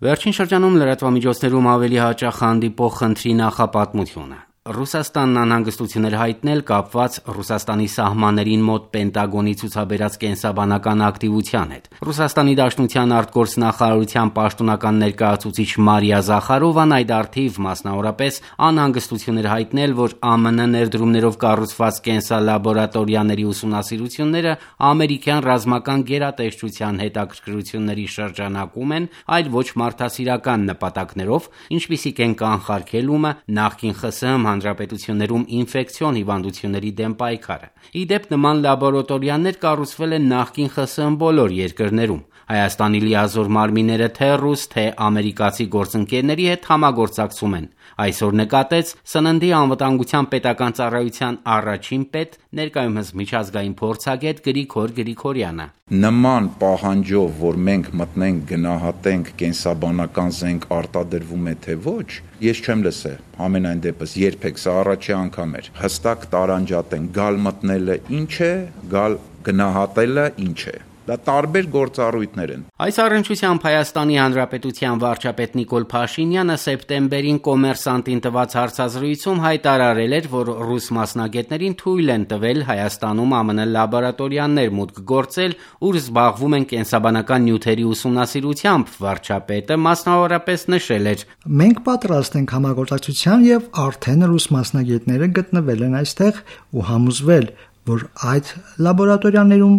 Վերջին շրջանում լրատվամիջոցներում ավելի հաճախ հանդիպող խնդրի նախապատմությունը։ Ռուսաստանն անհանգստություն էր հայտնել կապված Ռուսաստանի սահմաններին մոտ Պենտագոնի ցուցաբերած կենսաբանական ակտիվության հետ։ Ռուսաստանի Դաշնության արտգործնախարարության պաշտոնական ներկայացուցիչ Մարիա Զախարովան այդ առթիվ մասնավորապես անհանգստություն էր հայտնել, որ ԱՄՆ ներդրումներով կառուցված կենսալաբորատորիաների ուսումնասիրությունները ամերիկյան ռազմական գերատեսչության հետաքրքրությունների շրջանակում են, այլ ոչ մարդասիրական նպատակներով, ինչպիսիք են կանխարգելումը, նախկին ԽՍՀՄ հանրապետություններում ինֆեկցիոն հիվանդությունների դեմ պայքարը։ Ի դեպ, նման լաբորատորիաներ կառուցվել են նախկին ԽՍՀՄ բոլոր երկրներում։ Հայաստանի լիազոր մարմինները թե ռուս, թե ամերիկացի գործընկերների հետ համագործակցում են։ Այսօր նկատեց Սննդի անվտանգության պետական ծառայության առաջին պետ, ներկայումս միջազգային փորձագետ Գրիգոր Գրիգորյանը։ Նման պահանջով, որ մենք մտնենք, գնահատենք կենսաբանական զենք արտադրվում է թե ոչ, ես չեմ լսել։ Ամենայն դեպս երբեք, սա առաջի անգամ էր։ Հստակ տարանջատեն, գալ մտնելը ինչ է, գալ գնահատելը ինչ է։ Դա տարբեր գործառույթներ են։ Այս առնչությամբ Հայաստանի Հանրապետության վարչապետ Նիկոլ Փաշինյանը սեպտեմբերին Կոմերսանտին տված հարցազրույցում հայտարարել էր, որ ռուս մասնագետներին թույլ են տվել Հայաստանում ԱՄՆ լաբորատորիաներ մուտք գործել, ուր զբաղվում են կենսաբանական նյութերի ուսումնասիրությամբ։ Վարչապետը մասնավորապես նշել էր. Մենք պատրաստ ենք համագործակցության եւ արդեն ռուս մասնագետները գտնվել են այստեղ ու համոզվել, որ այդ լաբորատորիաներում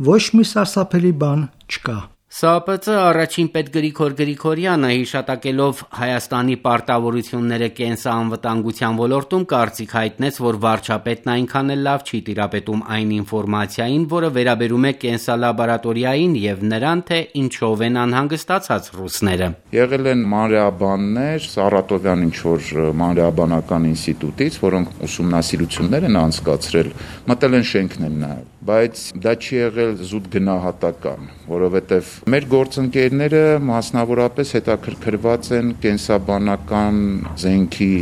ոչ մի սարսափելի բան չկա։ ՍԱՊԾ առաջին պետ Գրիգոր Գրիգորյանը հիշատակելով Հայաստանի պարտավորությունները կենսաանվտանգության ոլորտում կարծիք հայտնեց, որ վարչապետն այնքան էլ լավ չի տիրապետում այն ինֆորմացիային, որը վերաբերում է կենսալաբորատորիային եւ նրան, թե ինչով են անհանգստացած ռուսները։ Եղել են մանրեաբաններ Սարատովյան ինչ-որ մանրեաբանական ինստիտուտից, որոնք ուսումնասիրություններ են անցկացրել, մտել են շենքն են նայել, բայց դա չի եղել զուտ գնահատական, որովհետեւ մեր գործընկերները մասնավորապես հետաքրքրված են կենսաբանական զենքի,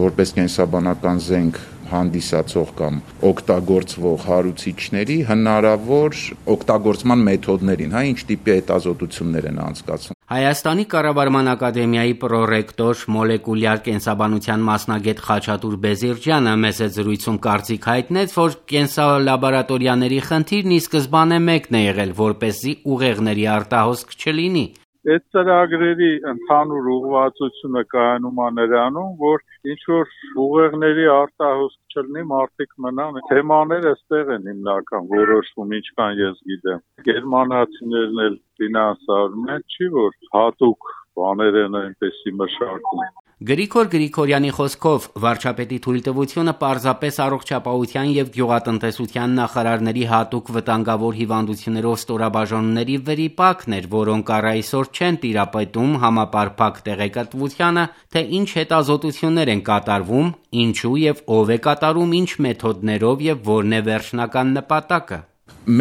որպես կենսաբանական զենք հանդիսացող կամ օգտագործվող հարուցիչների հնարավոր օգտագործման մեթոդներին, ինչ տիպի հետազոտություններ են անցկացվում։ Հայաստանի կառավարման ակադեմիայի պրոռեկտոր մոլեկուլյար կենսաբանության մասնագետ Խաչատուր Բեզիրջյանը մեծ զրույցում կարծիք հայտնեց, որ կենսալաբորատորիաների խնդիրն ի սկզբանե մեկն է եղել, որպեսզի ուղեղների արտահոսք չլինի։ Այդ ծրագրերի ընդհանուր ուղղվածությունը կայանում է նրանում, որ ինչ-որ ուղեղների արտահոսք չլինի, մարդիկ մնան։ Թեմաները այստեղ են հիմնական որոշվում, ինչքան ես գիտեմ։ Գերմանացիներն էլ ֆինանսավորում են, չի որ հատուկ բաներ են այնպեսի մշակում։ Գրիգոր Գրիգորյանի խոսքով վարչապետի թույլտվությունը պարզապես առողջապահության եւ գյուղատնտեսության նախարարների հատուկ վտանգավոր հիվանդություններով ստորաբաժանումների վրիպակն էր, որոնք առ այսօր չեն տիրապետում համապարփակ տեղեկատվությանը, թե ինչ հետազոտություններ են կատարվում, ինչու եւ ով է կատարում, ինչ մեթոդներով եւ որն է վերջնական նպատակը։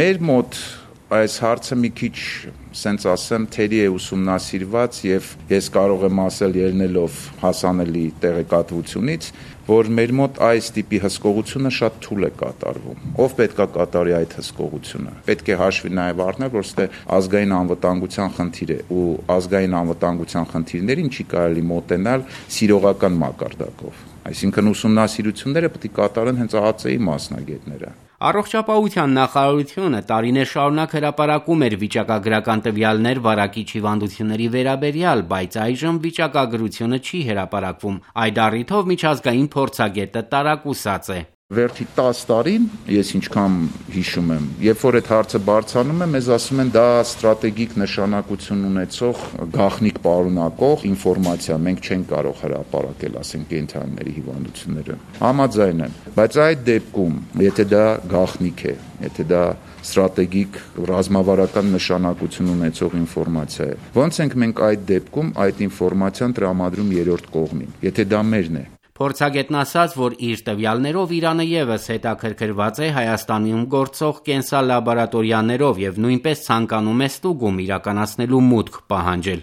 Մեր մոտ այս հարցը մի քիչ, սենց ասեմ, թերի է ուսումնասիրված եւ ես կարող եմ ասել ելնելով հասանելի տեղեկատվությունից, որ մեր մոտ այս տիպի հսկողությունը շատ թույլ է կատարվում։ Ով պետք է կատարի այդ հսկողությունը։ Պետք է հաշվի նաեւ առնել, որ ստե ազգային անվտանգության խնդիր է ու ազգային անվտանգության խնդիրներին չի կարելի մոտենալ սիրողական մակարդակով։ Այսինքն ուսումնասիրությունները պետք է կատարեն հենց ԱԱԾ-ի մասնագետները։ Առողջապահության նախարարությունը տարիներ շարունակ հրապարակում էր վիճակագրական տվյալներ վարակիչ հիվանդությունների վերաբերյալ, բայց այժմ վիճակագրությունը չի հրապարակվում։ Այդ առիթով միջազգային փորձագետը տարակուսած է։ Վերջի 10 տարին, ես ինչքան հիշում եմ, երբ որ այդ հարցը բարձրանում է, մեզ ասում են դա ստրատեգիկ նշանակություն ունեցող գաղտնիք պարունակող ինֆորմացիա, մենք չենք կարող հրապարակել, ասենք կենդանիների հիվանդությունները։ Համաձայն եմ, բայց այդ դեպքում, եթե դա գաղտնիք է, եթե դա ստրատեգիկ ռազմավարական նշանակություն ունեցող ինֆորմացիա է, ո՞նց ենք մենք այդ դեպքում այդ ինֆորմացիան տրամադրում երրորդ կողմին, եթե դա մերն է։ Փորձագետն ասաց, որ իր տվյալներով Իրանը ևս հետաքրքրված է Հայաստանում գործող կենսալաբորատորիաներով եւ նույնպես ցանկանում է ստուգում իրականացնելու մուտք պահանջել։